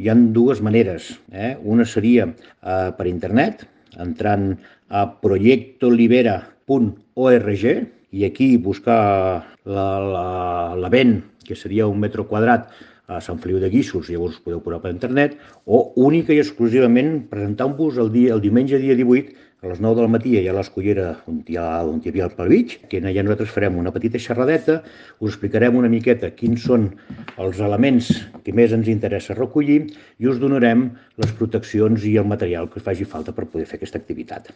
hi ha dues maneres. Una seria per internet, entrant a proyectolibera.org i aquí buscar l'event, que seria 1 metre quadrat a Sant Feliu de Guíxols, llavors us podeu posar per internet, o única i exclusivament presentant-vos el diumenge dia 18 a les 9 del matí a l'Escullera, on hi havia el Palvig, que allà nosaltres farem una petita xerradeta, us explicarem una miqueta quins són els elements que més ens interessa recollir i us donarem les proteccions i el material que us faci falta per poder fer aquesta activitat.